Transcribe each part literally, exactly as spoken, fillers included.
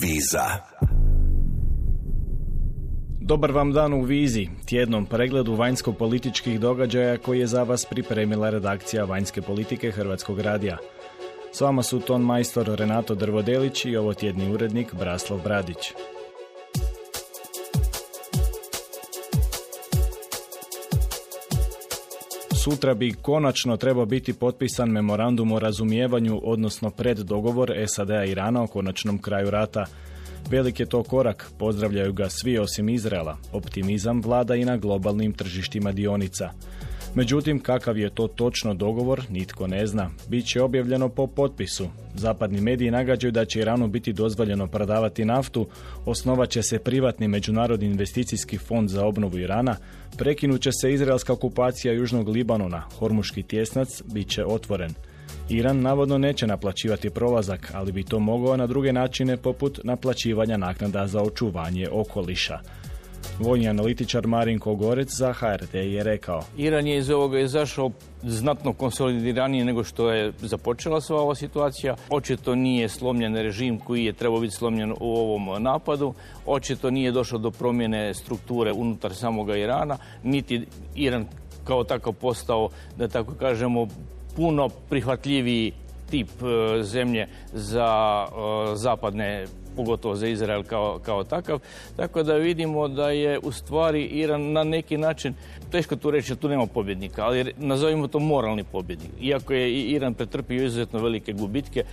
Viza. Dobar vam dan u Vizi, tjednom pregledu vanjsko-političkih događaja koji je za vas pripremila redakcija vanjske politike Hrvatskog radija. S vama su ton majstor Renato Drvodelić i ovo tjedni urednik Braslav Bradić. Sutra bi konačno trebao biti potpisan memorandum o razumijevanju, odnosno preddogovor S A D-a i Irana o konačnom kraju rata. Velik je to korak, pozdravljaju ga svi osim Izraela. Optimizam vlada i na globalnim tržištima dionica. Međutim, kakav je to točno dogovor, nitko ne zna. Biće objavljeno po potpisu. Zapadni mediji nagađaju da će Iranu biti dozvoljeno prodavati naftu, osnovat će se privatni međunarodni investicijski fond za obnovu Irana, prekinut će se izraelska okupacija Južnog Libanona, Hormuški tjesnac bit će otvoren. Iran navodno neće naplaćivati prolazak, ali bi to mogao na druge načine poput naplaćivanja naknada za očuvanje okoliša. Vojni analitičar Marinko Gorec za H R T je rekao: Iran je iz ovoga izašao znatno konsolidiranije nego što je započela sva ova situacija. Očito nije slomljen režim koji je trebao biti slomljen u ovom napadu. Očito nije došlo do promjene strukture unutar samoga Irana, niti Iran kao takav postao, da tako kažemo, puno prihvatljiviji tip e, zemlje za e, zapadne, pogotovo za Izrael kao, kao takav. Tako da vidimo da je u stvari Iran na neki način, teško tu reći, tu nema pobjednika, ali nazovimo to moralni pobjednik. Iako je Iran pretrpio izuzetno velike gubitke.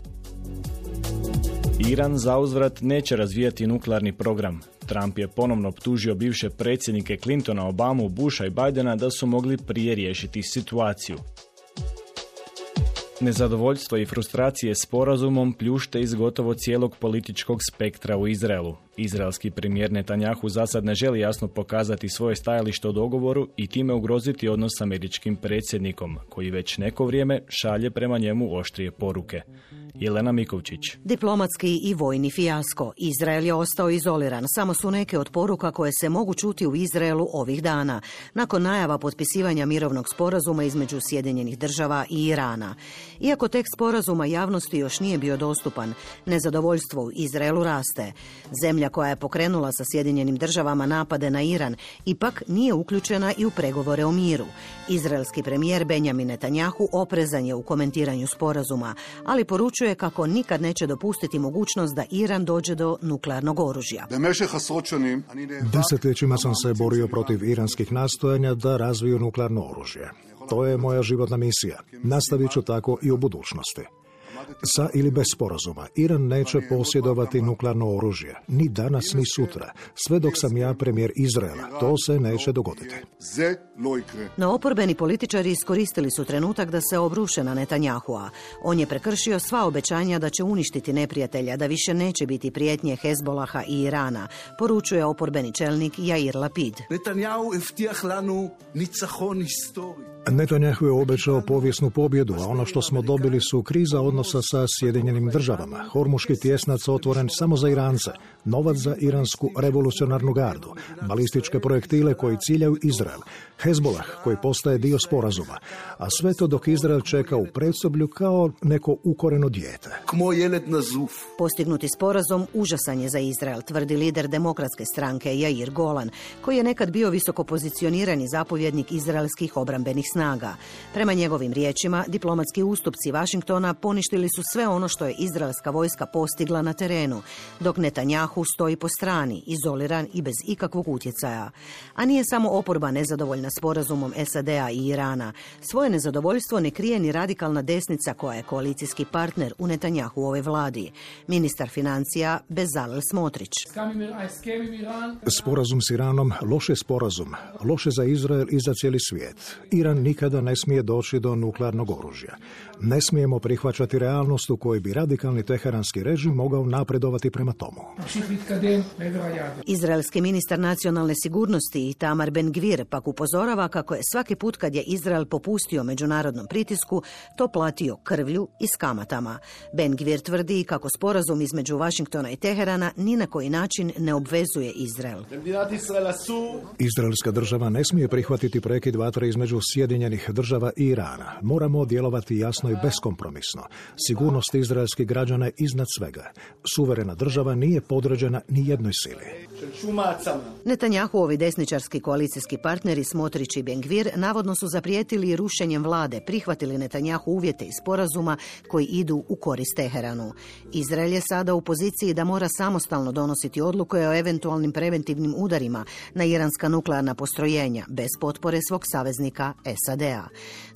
Iran zauzvrat neće razvijati nuklearni program. Trump je ponovno optužio bivše predsjednike Clintona, Obamu, Busha i Bidena da su mogli prije riješiti situaciju. Nezadovoljstvo i frustracije sporazumom pljušte iz gotovo cijelog političkog spektra u Izraelu. Izraelski premijer Netanjahu zasad ne želi jasno pokazati svoje stajalište o dogovoru i time ugroziti odnos s američkim predsjednikom, koji već neko vrijeme šalje prema njemu oštrije poruke. Jelena Mikovčić. Diplomatski i vojni fijasko. Izrael je ostao izoliran. Samo su neke od poruka koje se mogu čuti u Izraelu ovih dana, nakon najava potpisivanja mirovnog sporazuma između Sjedinjenih država i Irana. Iako tekst sporazuma javnosti još nije bio dostupan, nezadovoljstvo u Izraelu raste. Zemlja koja je pokrenula sa Sjedinjenim državama napade na Iran ipak nije uključena i u pregovore o miru. Izraelski premijer Benjamin Netanjahu oprezan je u komentiranju sporazuma, ali poručuje kako nikad neće dopustiti mogućnost da Iran dođe do nuklearnog oružja. Desetljećima sam se borio protiv iranskih nastojanja da razviju nuklearno oružje. To je moja životna misija. Nastavit ću tako i u budućnosti. Sa ili bez sporazuma, Iran neće posjedovati nuklearno oružje, ni danas ni sutra. Sve dok sam ja premijer Izraela, to se neće dogoditi. No oporbeni političari iskoristili su trenutak da se obruše na Netanjahua. On je prekršio sva obećanja da će uništiti neprijatelja, da više neće biti prijetnje Hezbolaha i Irana, poručuje oporbeni čelnik Jair Lapid. Netanjahu je obećao povijesnu pobjedu, a ono što smo dobili su kriza odnosa sa Sjedinjenim državama. Hormuški tjesnac otvoren samo za Irance, novac za iransku revolucionarnu gardu, balističke projektile koji ciljaju Izrael, Hezbolah koji postaje dio sporazuma, a sve to dok Izrael čeka u predsoblju kao neko ukoreno dijete. Postignuti sporazum užasan je za Izrael, tvrdi lider demokratske stranke Jair Golan, koji je nekad bio visoko pozicionirani zapovjednik izraelskih obrambenih snaga. Prema njegovim riječima, diplomatski ustupci Vašingtona poništili su sve ono što je izraelska vojska postigla na terenu, dok Netanjahu stoji po strani, izoliran i bez ikakvog utjecaja. A nije samo oporba nezadovoljna sporazumom S A D-a i Irana. Svoje nezadovoljstvo ne krije ni radikalna desnica koja je koalicijski partner u Netanjahuovoj vladi. Ministar financija Bezalel Smotrić. Sporazum s Iranom, loš je sporazum, loše za Izrael i za cijeli svijet. Iran nikada ne smije doći do nuklearnog oružja. Ne smijemo prihvaćati realnost u kojoj bi radikalni teheranski režim mogao napredovati prema tomu. Izraelski ministar nacionalne sigurnosti Itamar Ben-Gvir pak upozorava kako je svaki put kad je Izrael popustio međunarodnom pritisku, to platio krvlju i s kamatama. Ben-Gvir tvrdi kako sporazum između Vašingtona i Teherana ni na koji način ne obvezuje Izrael. Izraelska država ne smije prihvatiti prekid vatre između Sjedinjenih Sjedinjenih država i Irana. Moramo djelovati jasno i beskompromisno. Sigurnost izraelskih građana je iznad svega. Suverena država nije podređena ni jednoj sili. Netanjahuovi desničarski koalicijski partneri Smotrić i Ben-Gvir navodno su zaprijetili rušenjem vlade, prihvatili Netanjahu uvjete iz sporazuma koji idu u korist Teheranu. Izrael je sada u poziciji da mora samostalno donositi odluke o eventualnim preventivnim udarima na iranska nuklearna postrojenja bez potpore svog saveznika S A D-a.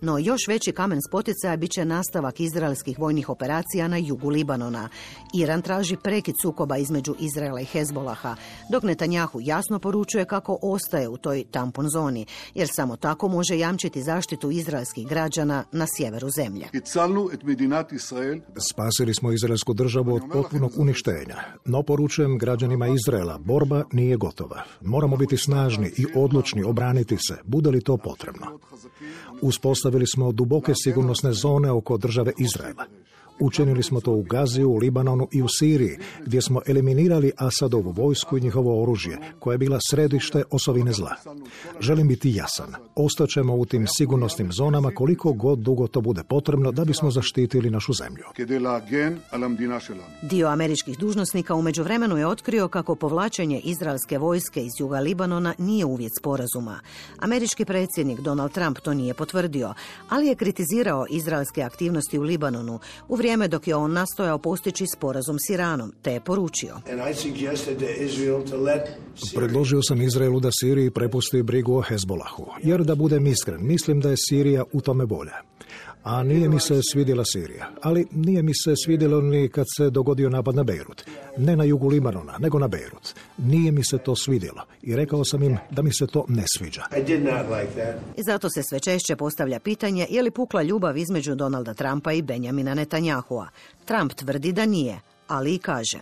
No još veći kamen spoticaja bit će nastavak izraelskih vojnih operacija na jugu Libanona. Iran traži prekid sukoba između Izraela i Hezbolaha, dok Netanjahu jasno poručuje kako ostaje u toj tampon zoni, jer samo tako može jamčiti zaštitu izraelskih građana na sjeveru zemlje. Spasili smo izraelsku državu od potpunog uništenja, no poručujem građanima Izraela, borba nije gotova. Moramo biti snažni i odlučni obraniti se, bude li to potrebno. Uspostavili smo duboke sigurnosne zone oko države Izraela. Učinili smo to u Gazi, u Libanonu i u Siriji, gdje smo eliminirali Asadovu vojsku i njihovo oružje, koje je bila središte osovine zla. Želim biti jasan. Ostaćemo u tim sigurnosnim zonama koliko god dugo to bude potrebno da bismo zaštitili našu zemlju. Dio američkih dužnosnika u međuvremenu je otkrio kako povlačenje izraelske vojske iz juga Libanona nije uvjet sporazuma. Američki predsjednik Donald Trump to nije potvrdio, ali je kritizirao izraelske aktivnosti u Libanonu u vrijeme dok je on nastojao postići sporazum s Iranom, te je poručio. Predložio sam Izraelu da Siriji prepusti brigu o Hezbolahu, jer da budem iskren, mislim da je Sirija u tome bolja. A nije mi se svidjela Sirija, ali nije mi se svidjelo ni kad se dogodio napad na Beirut. Ne na jugu Libanona, nego na Beirut. Nije mi se to svidjelo i rekao sam im da mi se to ne sviđa. I zato se sve češće postavlja pitanje je li pukla ljubav između Donalda Trumpa i Benjamina Netanyahua. Trump tvrdi da nije, ali i kaže.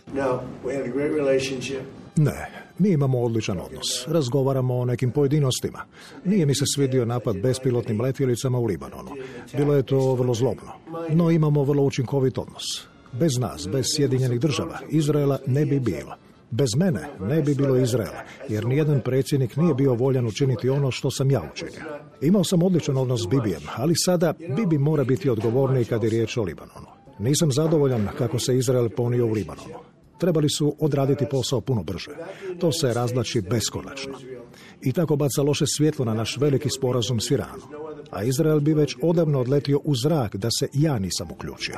Ne, mi imamo odličan odnos. Razgovaramo o nekim pojedinostima. Nije mi se svidio napad bespilotnim letjelicama u Libanonu. Bilo je to vrlo zlobno. No imamo vrlo učinkovit odnos. Bez nas, bez Sjedinjenih država, Izraela ne bi bilo. Bez mene ne bi bilo Izraela, jer nijedan predsjednik nije bio voljan učiniti ono što sam ja učinio. Imao sam odličan odnos s Bibijem, ali sada Bibi mora biti odgovorniji kad je riječ o Libanonu. Nisam zadovoljan kako se Izrael ponio u Libanonu. Trebali su odraditi posao puno brže. To se razvlači beskonačno. I tako baca loše svjetlo na naš veliki sporazum s Iranom. A Izrael bi već odavno odletio u zrak da se ja nisam uključio.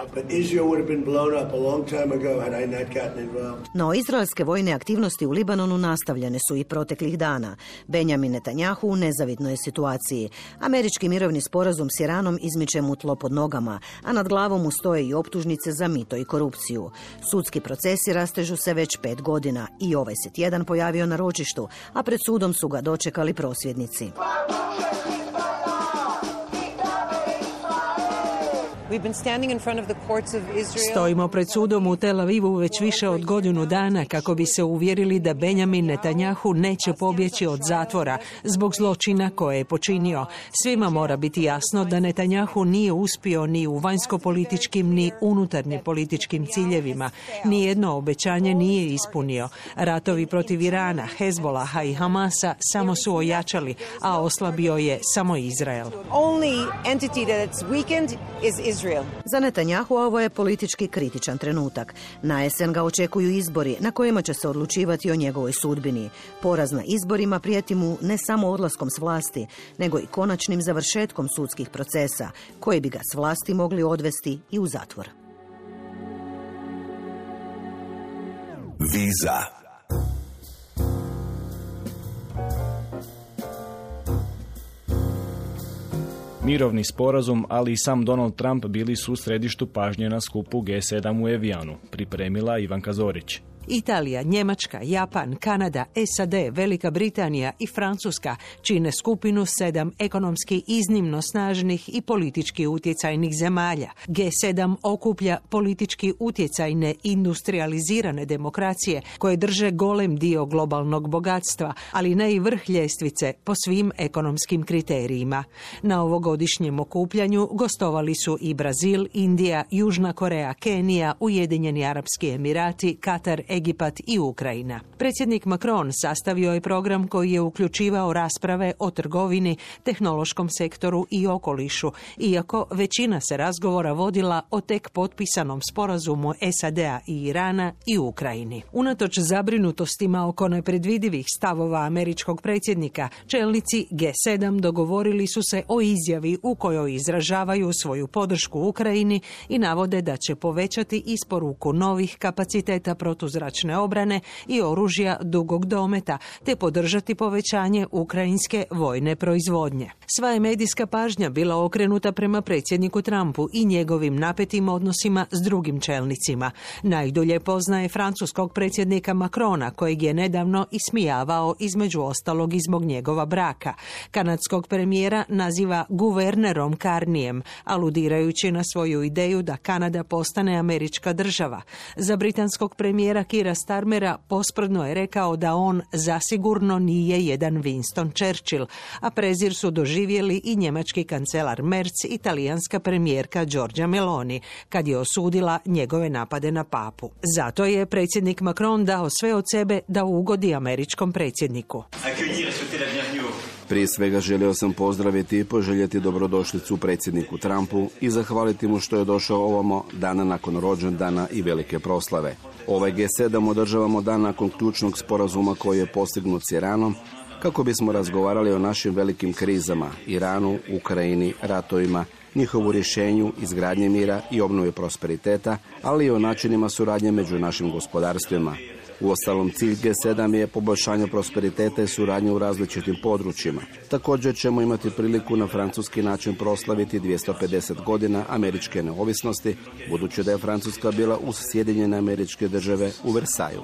No, izraelske vojne aktivnosti u Libanonu nastavljene su i proteklih dana. Benjamin Netanyahu u nezavidnoj je situaciji. Američki mirovni sporazum s Iranom izmiče mu tlo pod nogama, a nad glavom mu stoje i optužnice za mito i korupciju. Sudski procesi rastežu se već pet godina i ovaj se tjedan pojavio na ročištu, a pred sudom su ga dočekali prosvjednici. Stojimo pred sudom u Tel Avivu već više od godinu dana kako bi se uvjerili da Benjamin Netanyahu neće pobjeći od zatvora zbog zločina koje je počinio. Svima mora biti jasno da Netanyahu nije uspio ni u vanjskopolitičkim ni unutarnjim političkim ciljevima. Nijedno obećanje nije ispunio. Ratovi protiv Irana, Hezbolaha i Hamasa samo su ojačali, a oslabio je samo Izrael. Za Netanyahu ovo je politički kritičan trenutak. Na jesen ga očekuju izbori na kojima će se odlučivati o njegovoj sudbini. Poraz na izborima prijeti mu ne samo odlaskom s vlasti, nego i konačnim završetkom sudskih procesa, koji bi ga s vlasti mogli odvesti i u zatvor. Viza. Mirovni sporazum, ali i sam Donald Trump bili su u središtu pažnje na skupu G sedam u Evijanu, pripremila Ivanka Zorić. Italija, Njemačka, Japan, Kanada, S A D, Velika Britanija i Francuska čine skupinu sedam ekonomski iznimno snažnih i politički utjecajnih zemalja. G sedam okuplja politički utjecajne industrializirane demokracije koje drže golem dio globalnog bogatstva, ali ne i vrh ljestvice po svim ekonomskim kriterijima. Na ovogodišnjem okupljanju gostovali su i Brazil, Indija, Južna Koreja, Kenija, Ujedinjeni Arapski Emirati, Katar, Egipat i Ukrajina. Predsjednik Macron sastavio je program koji je uključivao rasprave o trgovini, tehnološkom sektoru i okolišu, iako većina se razgovora vodila o tek potpisanom sporazumu S A D-a i Irana i Ukrajini. Unatoč zabrinutostima oko nepredvidivih stavova američkog predsjednika, čelnici G sedam dogovorili su se o izjavi u kojoj izražavaju svoju podršku Ukrajini i navode da će povećati isporuku novih kapaciteta protuzračne obrane i oružja dugog dometa, te podržati povećanje ukrajinske vojne proizvodnje. Sva je medijska pažnja bila okrenuta prema predsjedniku Trumpu i njegovim napetim odnosima s drugim čelnicima. Najdulje poznaje francuskog predsjednika Macrona, kojeg je nedavno ismijavao između ostalog i zbog njegova braka. Kanadskog premijera naziva guvernerom Carnijem, aludirajući na svoju ideju da Kanada postane američka država. Za britanskog premijera Keira Starmera posprdno je rekao da on zasigurno nije jedan Winston Churchill, a prezir su doživjeli i njemački kancelar Merz i talijanska premijerka Giorgia Meloni, kad je osudila njegove napade na papu. Zato je predsjednik Macron dao sve od sebe da ugodi američkom predsjedniku. Prije svega želio sam pozdraviti i poželjeti dobrodošlicu predsjedniku Trumpu i zahvaliti mu što je došao ovamo dana nakon rođendana i velike proslave. Ovaj G sedam održavamo dan nakon ključnog sporazuma koji je postignut s Iranom, kako bismo razgovarali o našim velikim krizama, Iranu, Ukrajini, ratovima, njihovu rješenju, izgradnje mira i obnovi prosperiteta, ali i o načinima suradnje među našim gospodarstvima. Uostalom, cilj G sedam je poboljšanje prosperiteta i suradnje u različitim područjima. Također ćemo imati priliku na francuski način proslaviti dvjesto pedeset godina američke neovisnosti, budući da je Francuska bila uz Sjedinjene Američke Države u Versaju.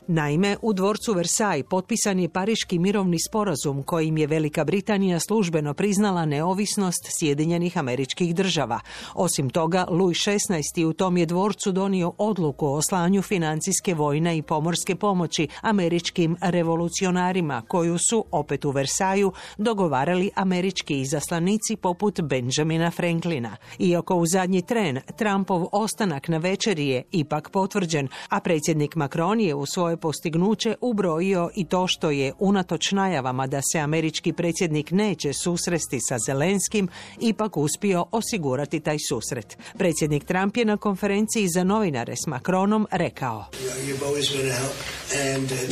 Naime, u dvorcu Versaj potpisan je Pariški mirovni sporazum kojim je Velika Britanija službeno priznala neovisnost Sjedinjenih Američkih Država. Osim toga, Louis šesnaesti u tom je dvorcu donio odluku o slanju financijske, vojne i pomorske pomoći američkim revolucionarima, koju su, opet u Versaju, dogovarali američki izaslanici poput Benjamina Franklina. Iako u zadnji tren Trumpov ostanak na večeri je ipak potvrđen, a predsjednik Macron je u svoje postignuće ubrojio i to što je, unatoč najavama da se američki predsjednik neće susresti sa Zelenskim, ipak uspio osigurati taj susret. Predsjednik Trump je na konferenciji za novinare s Macronom rekao: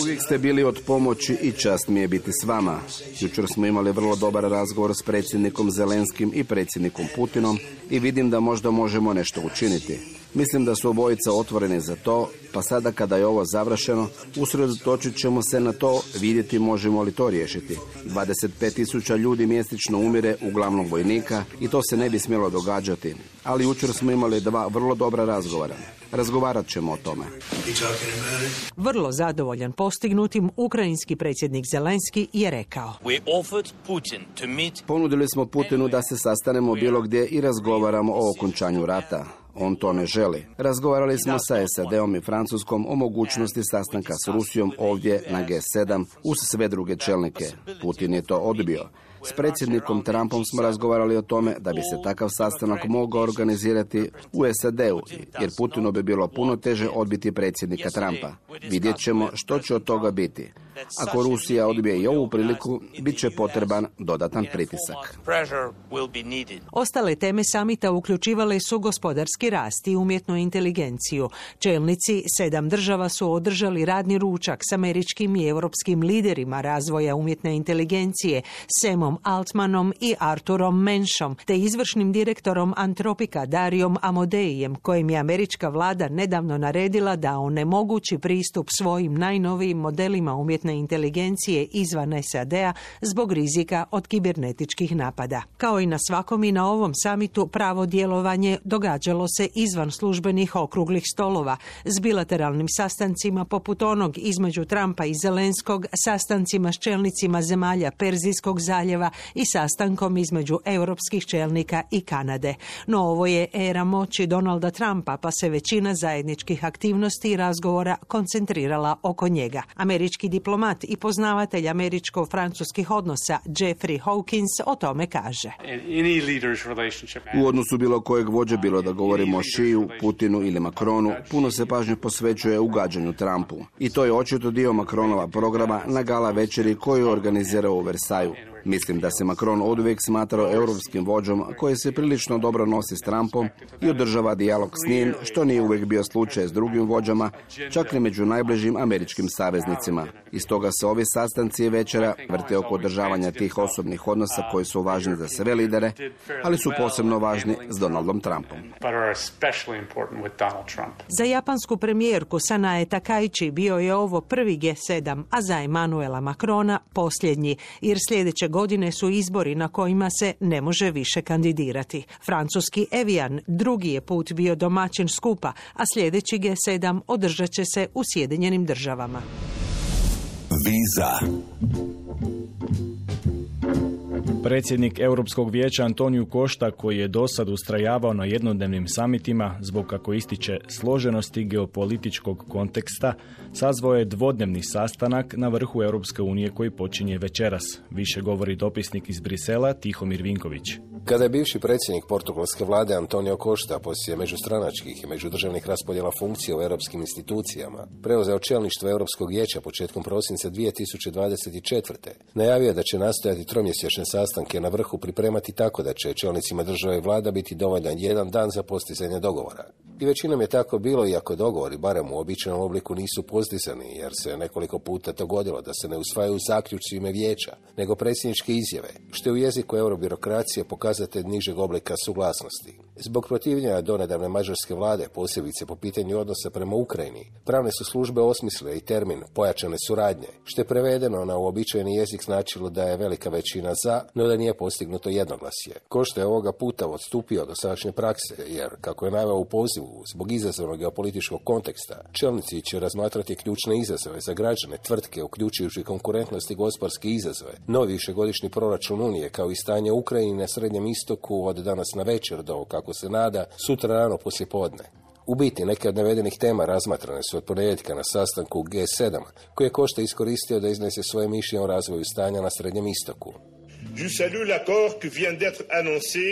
Uvijek ste bili od pomoći i čast mi je biti s vama. Jučer smo imali vrlo dobar razgovor s predsjednikom Zelenskim i predsjednikom Putinom i vidim da možda možemo nešto učiniti. Mislim da su obojica otvoreni za to, pa sada kada je ovo završeno, usredotočit ćemo se na to, vidjeti možemo li to riješiti. dvadeset pet tisuća ljudi mjesečno umire, uglavnom vojnika, i to se ne bi smjelo događati. Ali jučer smo imali dva vrlo dobra razgovora. Razgovarat ćemo o tome. Vrlo zadovoljan postignutim, ukrajinski predsjednik Zelenski je rekao: Ponudili smo Putinu da se sastanemo bilo gdje i razgovaramo o okončanju rata. On to ne želi. Razgovarali smo sa S A D-om i Francuskom o mogućnosti sastanka s Rusijom ovdje na G sedam uz sve druge čelnike. Putin je to odbio. S predsjednikom Trumpom smo razgovarali o tome da bi se takav sastanak mogao organizirati u S A D-u, jer Putinu bi bilo puno teže odbiti predsjednika Trumpa. Vidjet ćemo što će od toga biti. Ako Rusija odbije i ovu priliku, bit će potreban dodatan pritisak. Ostale teme samita uključivale su gospodarski rast i umjetnu inteligenciju. Čelnici sedam država su održali radni ručak s američkim i europskim liderima razvoja umjetne inteligencije, Samom Altmanom i Arturom Menschom, te izvršnim direktorom Antropika Darijom Amodeijem, kojem je američka vlada nedavno naredila da onemogući pristup svojim najnovijim modelima umjetne inteligencije izvan S A D-a zbog rizika od kibernetičkih napada. Kao i na svakom i na ovom samitu, pravo djelovanje događalo se izvan službenih okruglih stolova, s bilateralnim sastancima poput onog između Trumpa i Zelenskog, sastancima s čelnicima zemalja Perzijskog zaljeva i sastankom između europskih čelnika i Kanade. No ovo je era moći Donalda Trumpa, pa se većina zajedničkih aktivnosti i razgovora koncentrirala oko njega. Američki diplomat diplomat i poznavatelj američko-francuskih odnosa Jeffrey Hawkins o tome kaže. U odnosu bilo kojeg vođe, bilo da govorimo o Šiju, Putinu ili Macronu, puno se pažnje posvećuje ugađanju Trumpu. I to je očito dio Macronova programa na gala večeri koju je organizirao u Versaju. Mislim da se Macron oduvijek smatrao europskim vođom koji se prilično dobro nosi s Trumpom i održava dijalog s njim, što nije uvijek bio slučaj s drugim vođama, čak i među najbližim američkim saveznicima. I stoga se ovi sastanci i večera vrte oko održavanja tih osobnih odnosa koji su važni za sve lidere, ali su posebno važni s Donaldom Trumpom. Za japansku premijerku Sanae Takaichi bio je ovo prvi G sedam, a za Emmanuela Macrona posljednji, jer sljedeće godine su izbori na kojima se ne može više kandidirati. Francuski Evian drugi je put bio domaćin skupa, a sljedeći G sedam održat će se u Sjedinjenim državama. Viza. Predsjednik Europskog vijeća Antoniju Košta, koji je dosad ustrajavao na jednodnevnim samitima zbog, kako ističe, složenosti geopolitičkog konteksta, sazvao je dvodnevni sastanak na vrhu Europske unije koji počinje večeras. Više govori dopisnik iz Brisela Tihomir Vinković. Kada je bivši predsjednik portugalske vlade Antonio Costa poslije međustranačkih i međudržavnih raspodjela funkcija u europskim institucijama preuzeo čelništvo Europskog vijeća početkom prosinca dvije tisuće dvadeset četvrte. najavio da će nastojati tromjesečne sastanke na vrhu pripremati tako da će čelnicima države i vlada biti dovoljan jedan dan za postizanje dogovora. I većinom je tako bilo, iako dogovori, barem u običajnom obliku, nisu postizani, jer se nekoliko puta dogodilo da se ne usvajaju zaključci ime vijeća, nego predsjedničke izjave, što je u jeziku eurobirokracije pokazatelj nižeg oblika suglasnosti. Zbog protivljenja donedavne mađarske vlade, posebice po pitanju odnosa prema Ukrajini, pravne su službe osmislile i termin pojačane suradnje, što je prevedeno na uobičajeni jezik značilo da je velika većina za, no da nije postignuto jednoglasje. Košta je ovoga puta odstupio do sadašnje prakse, jer, kako je naveo u pozivu, zbog izazovnog geopolitičkog konteksta, čelnici će razmatrati ključne izazove za građane, tvrtke, uključujući konkurentnost i gospodarske izazove, novi višegodišnji proračun Unije, kao i stanje u Ukrajini na Srednjem istoku od danas na večer do, kako se nada, sutra rano poslijepodne. U biti, neke od navedenih tema razmatrane su od ponedjeljka na sastanku G sedam, koji je Košta iskoristio da iznese svoje mišljenje o razvoju stanja na Srednjem istoku. Je salue l'accord qui vient d'être annoncé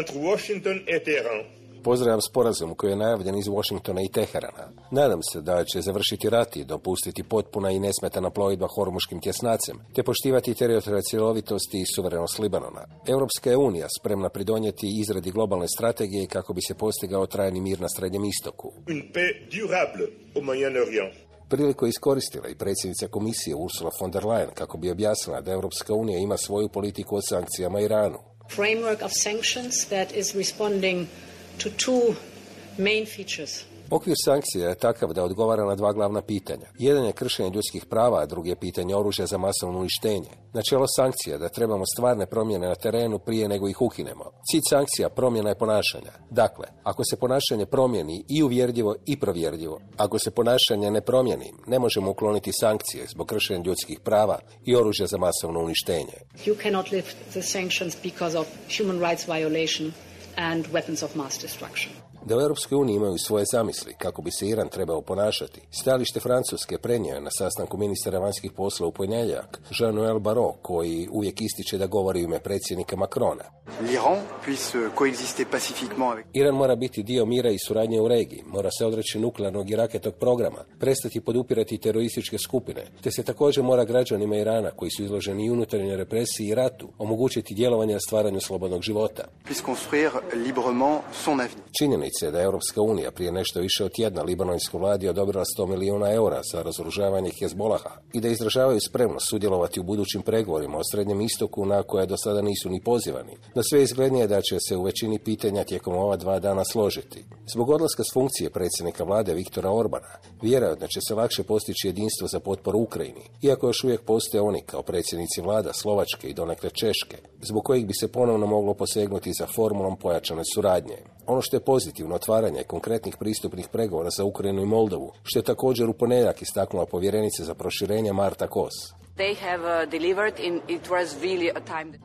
entre Washington et Téhéran. Pozdravljam sporazum koji je najavljen iz Washingtona i Teherana. Nadam se da će završiti rat i dopustiti potpuna i nesmetana plovidba Hormuškim tjesnacem, te poštivati teritorijalnu cjelovitost i suverenost Libanona. Europska je unija spremna pridonijeti izradi globalne strategije kako bi se postigao trajni mir na Srednjem istoku. Une paix durable au Moyen-Orient. Priliku je iskoristila i predsjednica komisije Ursula von der Leyen kako bi objasnila da Europska unija ima svoju politiku o sankcijama Iranu. Framework of sanctions that is responding to two main features. Okvir sankcija je takav da odgovara na dva glavna pitanja. Jedan je kršenje ljudskih prava, a drugi je pitanje oružja za masovno uništenje. Načelo sankcija da trebamo stvarne promjene na terenu prije nego ih ukinemo. Cilj sankcija promjena je ponašanja. Dakle, ako se ponašanje promijeni i uvjerljivo i provjerljivo, ako se ponašanje ne promijeni, ne možemo ukloniti sankcije zbog kršenja ljudskih prava i oružja za masovno uništenje. You cannot lift the sanctions because of human rights violation and weapons of mass destruction. Da u Europskoj uniji imaju svoje zamisli kako bi se Iran trebao ponašati, stajalište Francuske prenio je na sastanku ministara vanjskih poslova u ponedjeljak Jean-Noël Barrot, koji uvijek ističe da govori u ime predsjednika Macrona. Iran mora biti dio mira i suradnje u regiji, mora se odreći nuklearnog i raketnog programa, prestati podupirati terorističke skupine, te se također mora građanima Irana, koji su izloženi i unutarnjoj represiji i ratu, omogućiti djelovanje na stvaranju slobodnog života. Činjenica je da je Europska unija prije nešto više od tjedna libanonskoj vladi odobrila sto milijuna eura za razoružavanje Hezbolaha i da izražavaju spremnost sudjelovati u budućim pregovorima o Srednjem istoku na koje do sada nisu ni pozivani. No sve izglednije da će se u većini pitanja tijekom ova dva dana složiti. Zbog odlaska s funkcije predsjednika vlade Viktora Orbana, vjerojatno će se lakše postići jedinstvo za potporu Ukrajini, iako još uvijek postoje oni kao predsjednici vlada Slovačke i donekle Češke, zbog kojih bi se ponovno moglo posegnuti za formulom pojačane suradnje. Ono što je pozitivno otvaranje konkretnih pristupnih pregovora za Ukrajinu i Moldovu, što je također u ponedjeljak istaknula povjerenica za proširenje Marta Kos.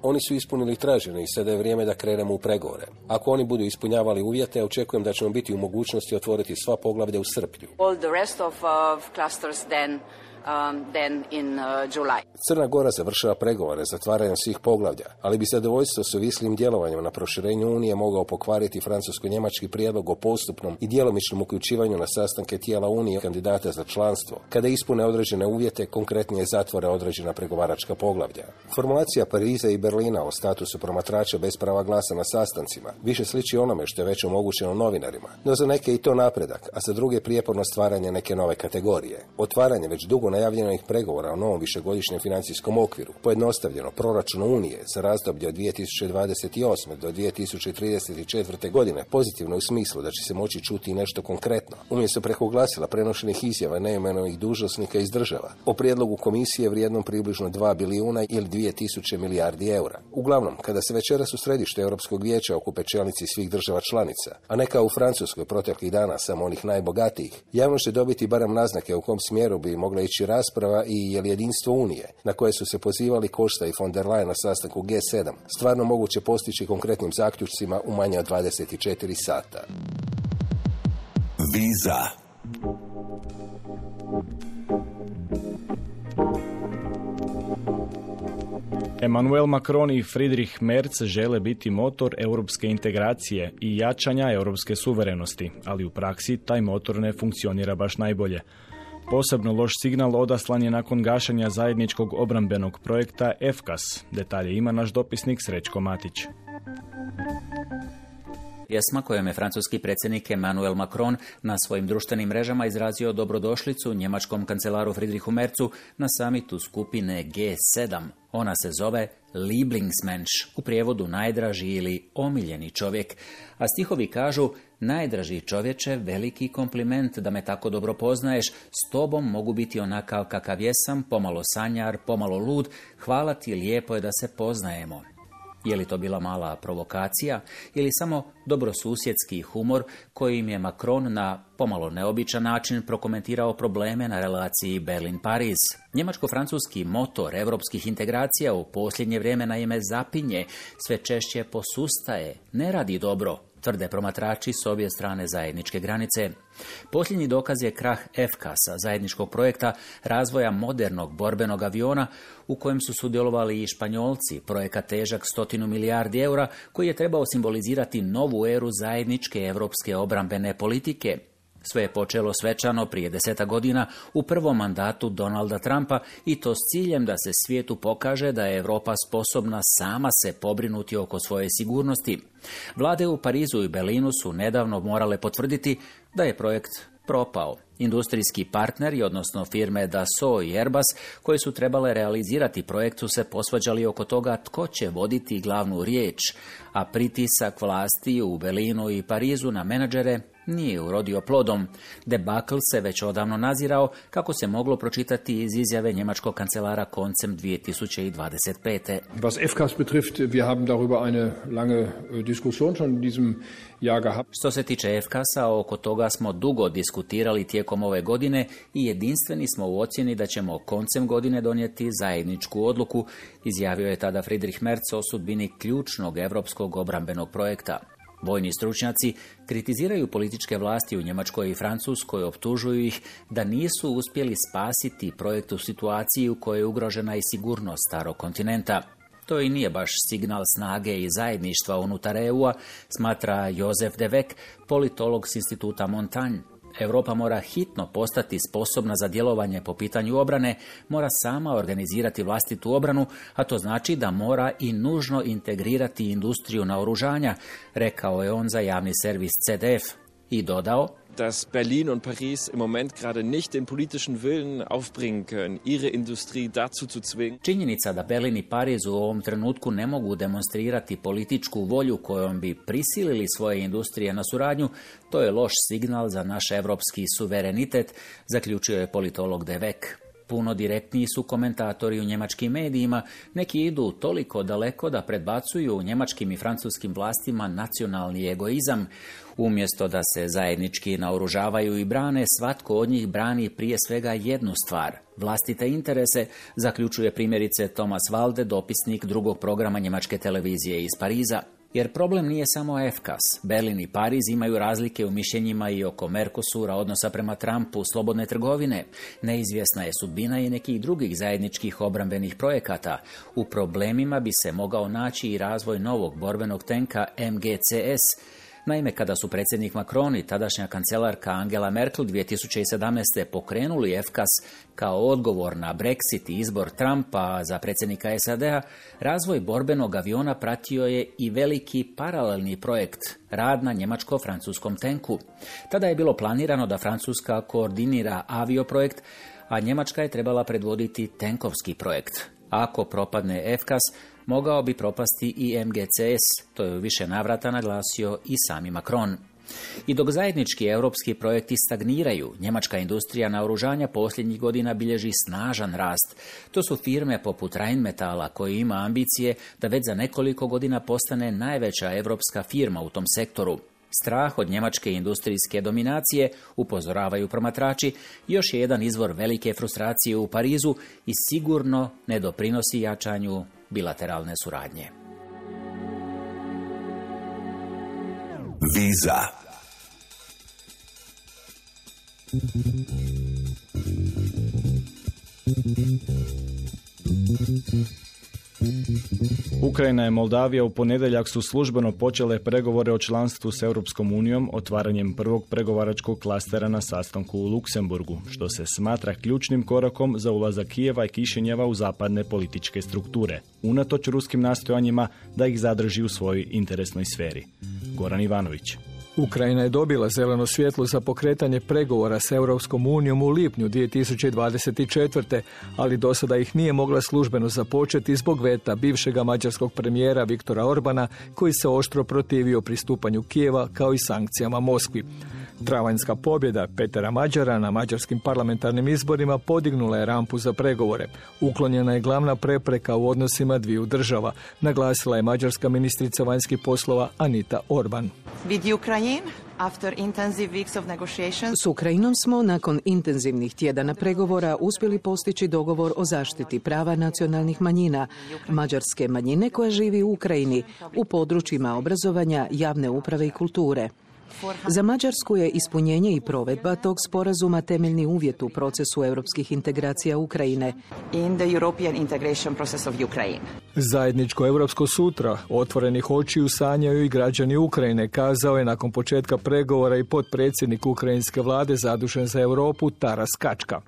Oni su ispunili tražene i sada je vrijeme da krenemo u pregovore. Ako oni budu ispunjavali uvjete, očekujem da ćemo biti u mogućnosti otvoriti sva poglavlja u srpnju. All the rest of uh, clusters then um, than in uh, July. Crna Gora završava pregovore zatvaranjem svih poglavlja, ali bi zadovoljstvo s ovislim djelovanjem na proširenju Unije mogao pokvariti francusko-njemački prijedlog o postupnom i djelomičnom uključivanju na sastanke tijela Unije kandidata za članstvo, kada ispune određene uvjete, konkretnije zatvore određena pregovaračka poglavlja. Formulacija Pariza i Berlina o statusu promatrača bez prava glasa na sastancima više sliči onome što je već omogućeno novinarima, no za neke i to napredak, a za druge prijeporno stvaranje neke nove kategorije. Otvaranje već dugo najavljenih pregovora o novom višegodišnjem financijskom okviru, pojednostavljeno proračunu Unije za razdoblje od dvije tisuće dvadeset osme do dvije tisuće trideset četvrte. godine pozitivno u smislu da će se moći čuti nešto konkretno, umjesto preko glasila prenošenih izjava neimenovanih dužnosnika iz država, o prijedlogu komisije vrijednom približno dva bilijuna ili dvije tisuće milijardi eura. Uglavnom, kada se večeras u središtu Europskog vijeća okupe čelnici svih država članica, a ne kao u Francuskoj proteklih dana samo onih najbogatijih, javnost će dobiti barem naznake u kom smjeru bi mogla ići rasprava i je li jedinstvo Unije, na koje su se pozivali Costa i von der Leyen na sastanku G sedam, stvarno moguće postići konkretnim zaključcima u manje od dvadeset četiri sata. Viza. Emmanuel Macron i Friedrich Merz žele biti motor europske integracije i jačanja europske suverenosti, ali u praksi taj motor ne funkcionira baš najbolje. Posebno loš signal odaslan je nakon gašenja zajedničkog obrambenog projekta E F K A S. Detalje ima naš dopisnik Srećko Matić. Pjesma kojom je francuski predsjednik Emmanuel Macron na svojim društvenim mrežama izrazio dobrodošlicu njemačkom kancelaru Friedrichu Merzu na samitu skupine G sedam. Ona se zove Lieblingsmensch, u prijevodu najdraži ili omiljeni čovjek, a stihovi kažu: najdraži čovječe, veliki kompliment da me tako dobro poznaješ, s tobom mogu biti onakav kakav jesam, pomalo sanjar, pomalo lud, hvala ti, lijepo je da se poznajemo. Je li to bila mala provokacija ili samo dobrosusjedski humor kojim je Macron na pomalo neobičan način prokomentirao probleme na relaciji Berlin-Pariz? Njemačko-francuski motor europskih integracija u posljednje vrijeme naime zapinje, sve češće posustaje, ne radi dobro, tvrde promatrači s obje strane zajedničke granice. Posljednji dokaz je krah E F K A S-a, zajedničkog projekta razvoja modernog borbenog aviona u kojem su sudjelovali i Španjolci, projekat težak stotinu milijardi eura koji je trebao simbolizirati novu eru zajedničke europske obrambene politike. Sve je počelo svečano prije deseta godina u prvom mandatu Donalda Trumpa i to s ciljem da se svijetu pokaže da je Europa sposobna sama se pobrinuti oko svoje sigurnosti. Vlade u Parizu i Berlinu su nedavno morale potvrditi da je projekt propao. Industrijski partneri, odnosno firme Dassault i Airbus, koji su trebale realizirati projekt, su se posvađali oko toga tko će voditi glavnu riječ, a pritisak vlasti u Berlinu i Parizu na menadžere nije urodio plodom. Debakl se već odavno nazirao, kako se moglo pročitati iz izjave njemačkog kancelara koncem dvije tisuće dvadeset pete. Was E F K A S betrifft, wir haben darüber eine lange Diskussion schon in diesem Jahr gehabt. Što se tiče E F K A S-a, oko toga smo dugo diskutirali tijekom ove godine i jedinstveni smo u ocjeni da ćemo koncem godine donijeti zajedničku odluku, izjavio je tada Friedrich Merz o sudbini ključnog europskog obrambenog projekta. Vojni stručnjaci kritiziraju političke vlasti u Njemačkoj i Francuskoj, optužuju ih da nisu uspjeli spasiti projekt u situaciji u kojoj je ugrožena i sigurnost starog kontinenta. To i nije baš signal snage i zajedništva unutar E U-a, smatra Josef de Weck, politolog s instituta Montagne. Europa mora hitno postati sposobna za djelovanje po pitanju obrane, mora sama organizirati vlastitu obranu, a to znači da mora i nužno integrirati industriju naoružanja, rekao je on za javni servis C D F. I dodao: dass Berlin und Paris im Moment gerade nicht den politischen Willen aufbringen können, ihre Industrie dazu zu zwingen. Činjenica da Berlin i Pariz u ovom trenutku ne mogu demonstrirati političku volju kojom bi prisilili svoje industrije na suradnju, to je loš signal za naš evropski suverenitet, zaključio je politolog de Weck. Puno direktniji su komentatori u njemačkim medijima, neki idu toliko daleko da predbacuju njemačkim i francuskim vlastima nacionalni egoizam. Umjesto da se zajednički naoružavaju i brane, svatko od njih brani prije svega jednu stvar, vlastite interese, zaključuje primjerice Thomas Walde, dopisnik drugog programa njemačke televizije iz Pariza. Jer problem nije samo F K A S. Berlin i Pariz imaju razlike u mišljenjima i oko Mercosura, odnosa prema Trumpu, slobodne trgovine. Neizvjesna je sudbina i nekih drugih zajedničkih obrambenih projekata. U problemima bi se mogao naći i razvoj novog borbenog tenka M G C S. Naime, kada su predsjednik Macron i tadašnja kancelarka Angela Merkel dvije tisuće sedamnaeste. pokrenuli F K A S kao odgovor na Brexit i izbor Trumpa za predsjednika S A D-a, razvoj borbenog aviona pratio je i veliki paralelni projekt, rad na njemačko-francuskom tenku. Tada je bilo planirano da Francuska koordinira avioprojekt, a Njemačka je trebala predvoditi tenkovski projekt. Ako propadne F K A S, mogao bi propasti i M G C S, to je u više navrata naglasio i sami Macron. I dok zajednički europski projekti stagniraju, njemačka industrija naoružanja posljednjih godina bilježi snažan rast. To su firme poput Rheinmetalla koji ima ambicije da već za nekoliko godina postane najveća europska firma u tom sektoru. Strah od njemačke industrijske dominacije, upozoravaju promatrači, još je jedan izvor velike frustracije u Parizu i sigurno ne doprinosi jačanju bilateralne suradnje. Viza. Ukrajina i Moldavija u ponedjeljak su službeno počele pregovore o članstvu s Europskom unijom otvaranjem prvog pregovaračkog klastera na sastanku u Luksemburgu, što se smatra ključnim korakom za ulazak Kijeva i Kišinjeva u zapadne političke strukture, unatoč ruskim nastojanjima da ih zadrži u svojoj interesnoj sferi. Goran Ivanović. Ukrajina je dobila zeleno svjetlo za pokretanje pregovora s Europskom unijom u lipnju dvije tisuće dvadeset četvrte. ali do sada ih nije mogla službeno započeti zbog veta bivšega mađarskog premijera Viktora Orbana, koji se oštro protivio pristupanju Kijeva kao i sankcijama Moskvi. Travanjska pobjeda Petera Mađara na mađarskim parlamentarnim izborima podignula je rampu za pregovore. Uklonjena je glavna prepreka u odnosima dviju država, naglasila je mađarska ministrica vanjskih poslova Anita Orban. S Ukrajinom smo nakon intenzivnih tjedana pregovora uspjeli postići dogovor o zaštiti prava nacionalnih manjina, mađarske manjine koja živi u Ukrajini, u područjima obrazovanja, javne uprave i kulture. Za Mađarsku je ispunjenje i provedba tog sporazuma temeljni uvjet u procesu europskih integracija Ukrajine. In the European integration process of Ukraine. Zajedničko europsko sutra otvorenih očiju sanjaju i građani Ukrajine, kazao je nakon početka pregovora i potpredsjednik ukrajinske vlade zadužen za Europu Taras Kačka.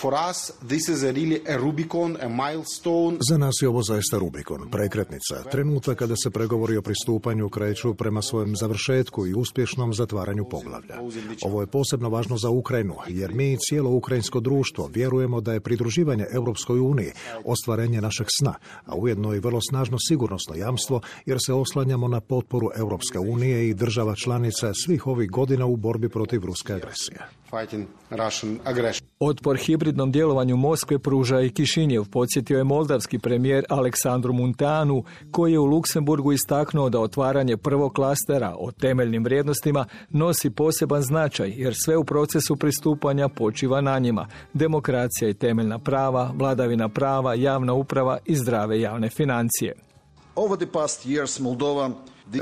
For us, this is a really a Rubicon, a milestone. Za nas je ovo zaista Rubikon, prekretnica, trenutak kada se pregovori o pristupanju kreću prema svojem završetku i uspješnom zatvaranju poglavlja. Ovo je posebno važno za Ukrajinu, jer mi i cijelo ukrajinsko društvo vjerujemo da je pridruživanje Europskoj uniji ostvarenje našeg sna, a ujedno i vrlo snažno sigurnosno jamstvo, jer se oslanjamo na potporu Europske unije i država članica svih ovih godina u borbi protiv ruske agresije. Otpor hibridnom djelovanju Moskve pruža i Kišinjev, podsjetio je moldavski premijer Aleksandru Munteanu, koji je u Luksemburgu istaknuo da otvaranje prvog klastera o temeljnim vrijednostima nosi poseban značaj, jer sve u procesu pristupanja počiva na njima: demokracija i temeljna prava, vladavina prava, javna uprava i zdrave javne financije. Over the past years, Moldova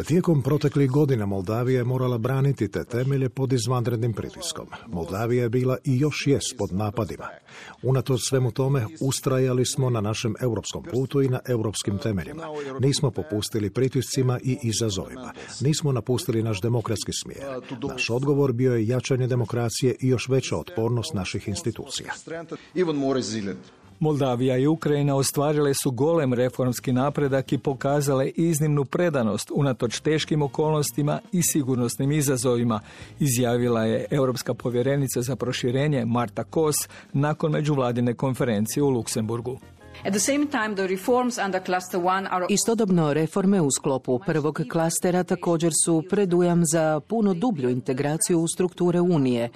Tijekom proteklih godina Moldavija je morala braniti te temelje pod izvanrednim pritiskom. Moldavija je bila i još jest pod napadima. Unatoč svemu tome, ustrajali smo na našem europskom putu i na europskim temeljima. Nismo popustili pritiscima i izazovima. Nismo napustili naš demokratski smjer. Naš odgovor bio je jačanje demokracije i još veća otpornost naših institucija. Moldavija i Ukrajina ostvarile su golem reformski napredak i pokazale iznimnu predanost unatoč teškim okolnostima i sigurnosnim izazovima, izjavila je europska povjerenica za proširenje Marta Kos nakon međuvladine konferencije u Luksemburgu. At the same time, the reforms under cluster one are... Istodobno, reforme u sklopu prvog klastera također su predujam za puno dublju integraciju u strukture Unije.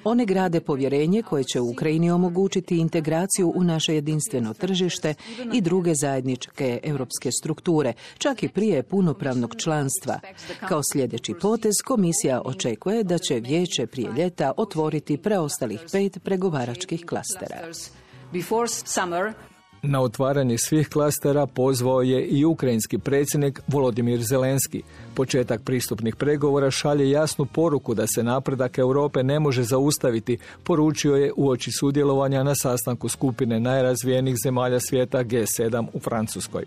One grade povjerenje koje će Ukrajini omogućiti integraciju u naše jedinstveno tržište i druge zajedničke europske strukture, čak i prije punopravnog članstva. Kao sljedeći potez, komisija očekuje da će vijeće prije ljeta otvoriti preostalih pet pregovaračkih klastera. Before summer, Na otvaranje svih klastera pozvao je i ukrajinski predsjednik Volodimir Zelenski. Početak pristupnih pregovora šalje jasnu poruku da se napredak Europe ne može zaustaviti, poručio je uoči sudjelovanja na sastanku skupine najrazvijenijih zemalja svijeta G sedam u Francuskoj.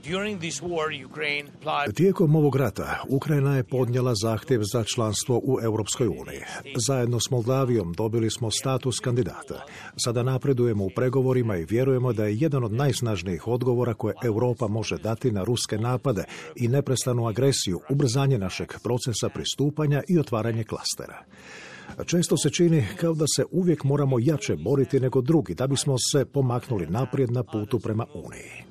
Tijekom ovog rata Ukrajina je podnijela zahtjev za članstvo u Europskoj uniji. Zajedno s Moldavijom dobili smo status kandidata. Sada napredujemo u pregovorima i vjerujemo da je jedan od najsnažnijih odgovora koje Europa može dati na ruske napade i neprestanu agresiju ubrzanje našeg procesa pristupanja i otvaranje klastera. Često se čini kao da se uvijek moramo jače boriti nego drugi da bismo se pomaknuli naprijed na putu prema Uniji.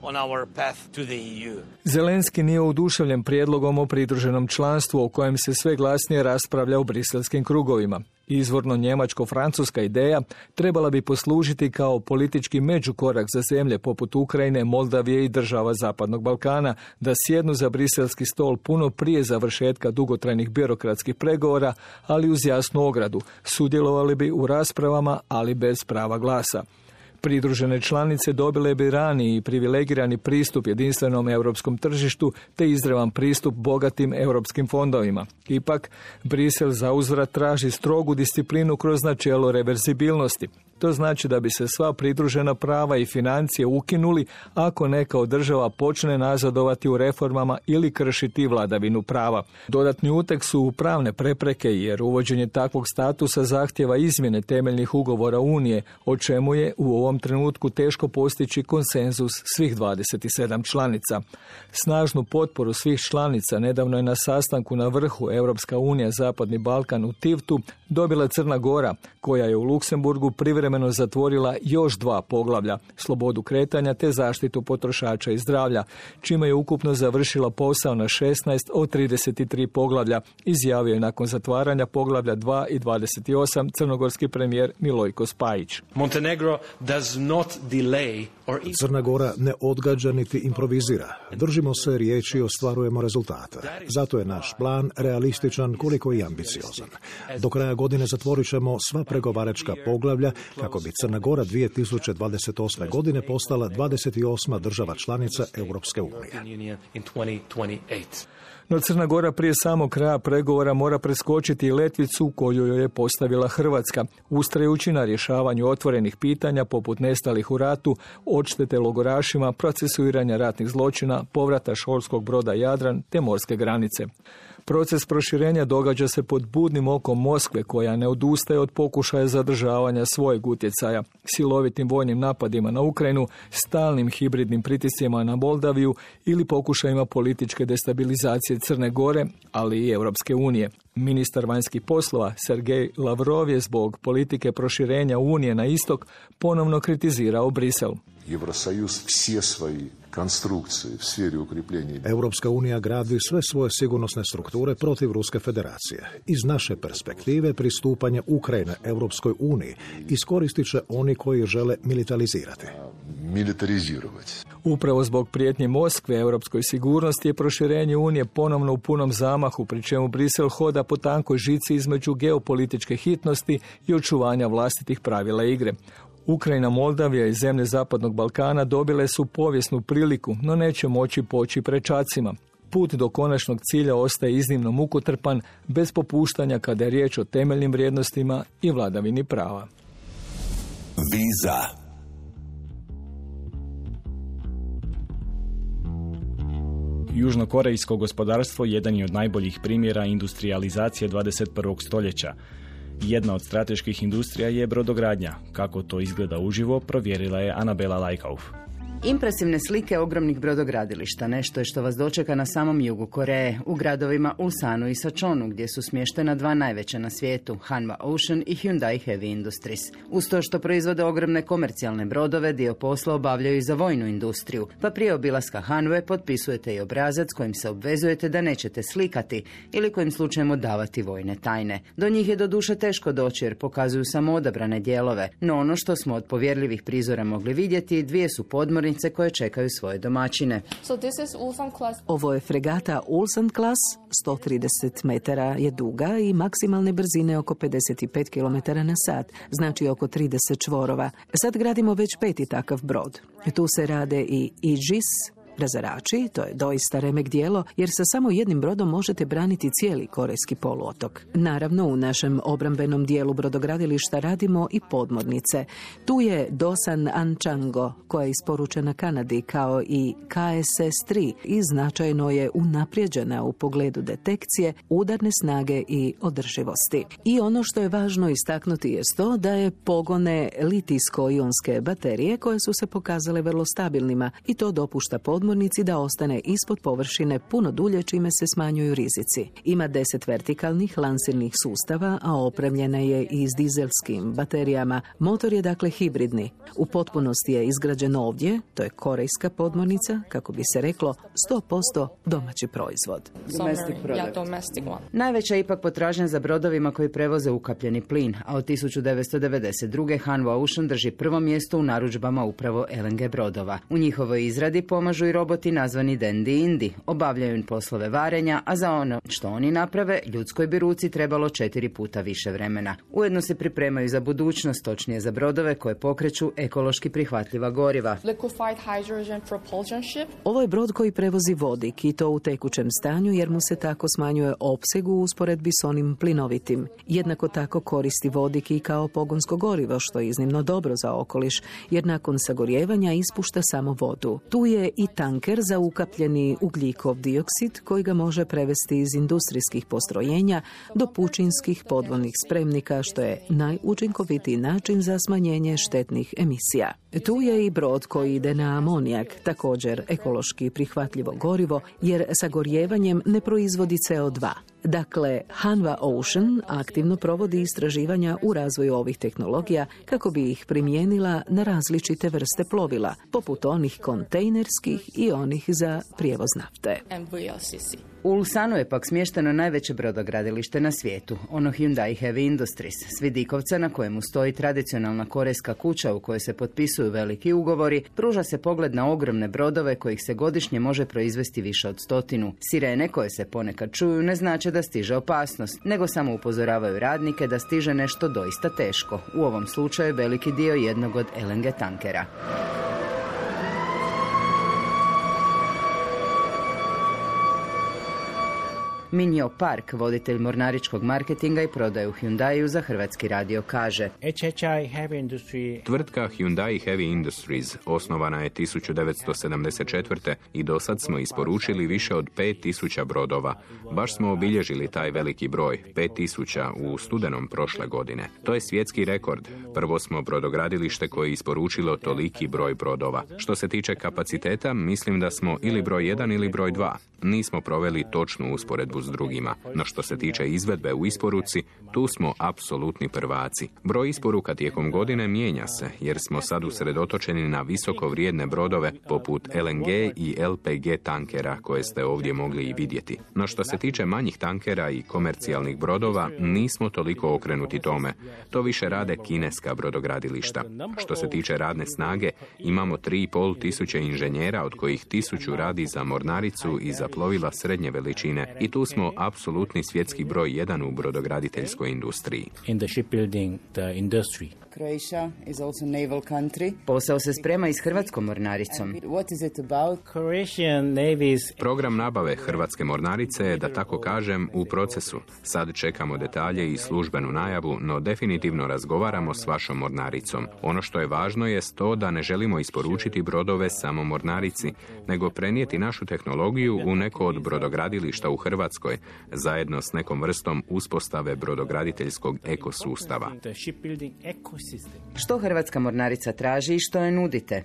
Zelenski nije oduševljen prijedlogom o pridruženom članstvu o kojem se sve glasnije raspravlja u briselskim krugovima. Izvorno njemačko-francuska ideja trebala bi poslužiti kao politički međukorak za zemlje poput Ukrajine, Moldavije i država Zapadnog Balkana da sjednu za briselski stol puno prije završetka dugotrajnih birokratskih pregovora, ali uz jasnu ogradu. Sudjelovali bi u raspravama, ali bez prava glasa. Pridružene članice dobile bi raniji i privilegirani pristup jedinstvenom europskom tržištu te izravan pristup bogatim europskim fondovima. Ipak, Brisel zauzvrat traži strogu disciplinu kroz načelo reverzibilnosti. To znači da bi se sva pridružena prava i financije ukinuli ako neka od država počne nazadovati u reformama ili kršiti vladavinu prava. Dodatni uteg su pravne prepreke jer uvođenje takvog statusa zahtjeva izmjene temeljnih ugovora Unije, o čemu je u ovom trenutku teško postići konsenzus svih dvadeset sedam članica. Snažnu potporu svih članica nedavno je na sastanku na vrhu Europska unija Zapadni Balkan u Tivtu dobila Crna Gora, koja je u Luksemburgu privremeno zatvorila još dva poglavlja, slobodu kretanja te zaštitu potrošača i zdravlja, čime je ukupno završila posao na šesnaest od trideset tri poglavlja, izjavio je nakon zatvaranja poglavlja dva i dvadeset osam crnogorski premijer Milojko Spajić. Montenegro does not delay or... Crna Gora ne odgađa niti improvizira. Držimo se riječi i ostvarujemo rezultate. Zato je naš plan realističan koliko i ambiciozan. Do kraja godine zatvorit ćemo sva pregovaračka poglavlja kako bi Crna Gora dvije tisuće dvadeset osme. godine postala dvadeset osma država članica Europske unije. No Crna Gora prije samog kraja pregovora mora preskočiti i letvicu koju joj je postavila Hrvatska, ustrajući na rješavanju otvorenih pitanja poput nestalih u ratu, odštete logorašima, procesuiranja ratnih zločina, povrata školskog broda Jadran te morske granice. Proces proširenja događa se pod budnim okom Moskve, koja ne odustaje od pokušaja zadržavanja svojeg utjecaja, silovitim vojnim napadima na Ukrajinu, stalnim hibridnim pritiscima na Moldaviju ili pokušajima političke destabilizacije Crne Gore, ali i Europske unije. Ministar vanjskih poslova Sergej Lavrov je zbog politike proširenja Unije na istok ponovno kritizirao Brisel. Evrosajuz sve svoji konstrukcije u sferi ukrepljenja. Europska unija gradi sve svoje sigurnosne strukture protiv Ruske federacije. Iz naše perspektive pristupanje Ukrajine Europskoj uniji iskoristit će oni koji žele militarizirati. Militarizirati. Upravo zbog prijetnje Moskve europskoj sigurnosti je proširenje Unije ponovno u punom zamahu, pri čemu Brisel hoda po tankoj žici između geopolitičke hitnosti i očuvanja vlastitih pravila igre. Ukrajina, Moldavija i zemlje Zapadnog Balkana dobile su povijesnu priliku, no neće moći poći prečacima. Put do konačnog cilja ostaje iznimno mukotrpan, bez popuštanja kada je riječ o temeljnim vrijednostima i vladavini prava. Viza. Južnokorejsko gospodarstvo jedan je od najboljih primjera industrializacije dvadeset prvog stoljeća. Jedna od strateških industrija je brodogradnja. Kako to izgleda uživo, provjerila je Anabela Lajkauf. Impresivne slike ogromnih brodogradilišta, nešto je što vas dočeka na samom jugu Koreje, u gradovima Ulsanu i Sačonu, gdje su smještena dva najveća na svijetu, Hanwha Ocean i Hyundai Heavy Industries. Uz to što proizvode ogromne komercijalne brodove, dio posla obavljaju i za vojnu industriju, pa prije obilaska Hanwe potpisujete i obrazac kojim se obvezujete da nećete slikati ili kojim slučajem odavati vojne tajne. Do njih je doduše teško doći jer pokazuju samo odabrane dijelove, no ono što smo od povjerljivih prizora mogli vidjeti, dvije su podmornice podmornice koje čekaju svoje domaćine. So this is Ulsan class. Ovo je fregata Ulsan Class, sto trideset metara je duga i maksimalne brzine oko pedeset pet kilometara na sat, znači oko trideset čvorova. Sad gradimo već peti takav brod. Tu se rade i Aegis razarači, to je doista remek djelo, jer sa samo jednim brodom možete braniti cijeli korejski poluotok. Naravno, u našem obrambenom dijelu brodogradilišta radimo i podmornice. Tu je Dosan Anchango, koja je isporučena Kanadi, kao i K S S tri i značajno je unaprijeđena u pogledu detekcije, udarne snage i održivosti. I ono što je važno istaknuti je to da je pogone litijsko-ionske baterije koje su se pokazale vrlo stabilnima i to dopušta podmornici da ostane ispod površine puno dulje, čime se smanjuju rizici. Ima deset vertikalnih lansirnih sustava, a opremljena je i s dizelskim baterijama. Motor je dakle hibridni. U potpunosti je izgrađen ovdje, to je korejska podmornica, kako bi se reklo, sto posto domaći proizvod. Najveća je ipak potražnja za brodovima koji prevoze ukapljeni plin, a od tisuću devetsto devedeset druge. Hanwha Ocean drži prvo mjesto u narudžbama upravo L N G brodova. U njihovoj izradi pomažu i roboti nazvani Dandy Indi. Obavljaju im poslove varenja, a za ono što oni naprave, ljudskoj bi ruci trebalo četiri puta više vremena. Ujedno se pripremaju za budućnost, točnije za brodove koje pokreću ekološki prihvatljiva goriva. Ovo je brod koji prevozi vodik i to u tekućem stanju, jer mu se tako smanjuje opseg u usporedbi s onim plinovitim. Jednako tako koristi vodik i kao pogonsko gorivo, što je iznimno dobro za okoliš, jer nakon sagorijevanja ispušta samo vodu. Tu je i tanker za ukapljeni ugljikov dioksid koji ga može prevesti iz industrijskih postrojenja do pučinskih podvodnih spremnika, što je najučinkovitiji način za smanjenje štetnih emisija. Tu je i brod koji ide na amonijak, također ekološki prihvatljivo gorivo, jer sagorijevanjem ne proizvodi C O dva. Dakle, Hanwha Ocean aktivno provodi istraživanja u razvoju ovih tehnologija kako bi ih primijenila na različite vrste plovila, poput onih kontejnerskih i onih za prijevoz nafte. U Ulsanu je pak smješteno najveće brodogradilište na svijetu, ono Hyundai Heavy Industries, s vidikovca na kojemu stoji tradicionalna korejska kuća u kojoj se potpisuju veliki ugovori, pruža se pogled na ogromne brodove kojih se godišnje može proizvesti više od stotinu. Sirene koje se ponekad čuju ne znače da stiže opasnost, nego samo upozoravaju radnike da stiže nešto doista teško, u ovom slučaju veliki dio jednog od L N G tankera. Minjo Park, voditelj mornaričkog marketinga i prodaju u Hyundaiu, za Hrvatski radio kaže: Tvrtka Hyundai Heavy Industries osnovana je tisuću devetsto sedamdeset četvrte. i do sad smo isporučili više od pet tisuća brodova. Baš smo obilježili taj veliki broj, pet tisuća u studenom prošle godine. To je svjetski rekord. Prvo smo brodogradilište koje je isporučilo toliki broj brodova. Što se tiče kapaciteta, mislim da smo ili broj jedan ili broj dva. Nismo proveli točnu usporedbu s drugima, no što se tiče izvedbe u isporuci, tu smo apsolutni prvaci. Broj isporuka tijekom godine mijenja se, jer smo sad usredotočeni na visoko vrijedne brodove poput L N G i L P G tankera koje ste ovdje mogli i vidjeti. No što se tiče manjih tankera i komercijalnih brodova, nismo toliko okrenuti tome. To više rade kineska brodogradilišta. Što se tiče radne snage, imamo tri i pol tisuće inženjera, od kojih tisuću radi za mornaricu i za plovila srednje veličine, i tu smo apsolutni svjetski broj jedan u brodograditeljskoj industriji. In the shipbuilding, the industry. Croatia is also naval country. Posao se sprema i s hrvatskom mornaricom. What is it about? Croatian Navy's... Program nabave hrvatske mornarice je, da tako kažem, u procesu. Sad čekamo detalje i službenu najavu, no definitivno razgovaramo s vašom mornaricom. Ono što je važno je to da ne želimo isporučiti brodove samo mornarici, nego prenijeti našu tehnologiju u neko od brodogradilišta u Hrvatskoj, zajedno s nekom vrstom uspostave brodograditeljskog ekosustava. Što hrvatska mornarica traži i što je nudite?